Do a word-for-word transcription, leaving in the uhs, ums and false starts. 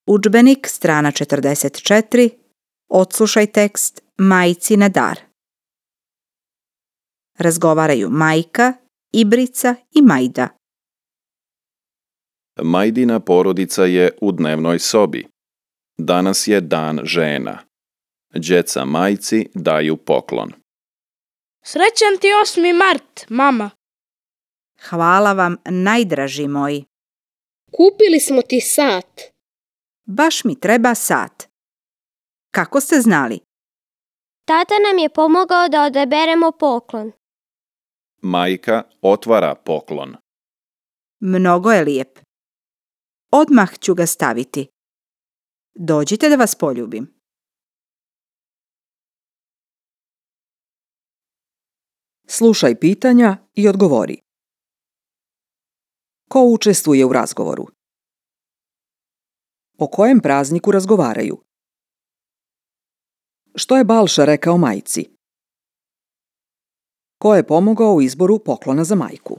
Udžbenik, strana četrdeset četiri. Odslušaj tekst Majci na dar. Razgovaraju Majka, Ibrica i Majda. Majdina porodica je u dnevnoj sobi. Danas je dan žena. Djeca majci daju poklon. Srećan ti osmi mart, mama. Hvala vam, najdraži moj. Kupili smo ti sat. Baš mi treba sat. Kako ste znali? Tata nam je pomogao da odaberemo poklon. Majka otvara poklon. Mnogo je lijep. Odmah ću ga staviti. Dođite da vas poljubim. Slušaj pitanja i odgovori. Ko učestvuje u razgovoru? O kojem prazniku razgovaraju? Što je Balša rekao majci? Ko je pomogao u izboru poklona za majku?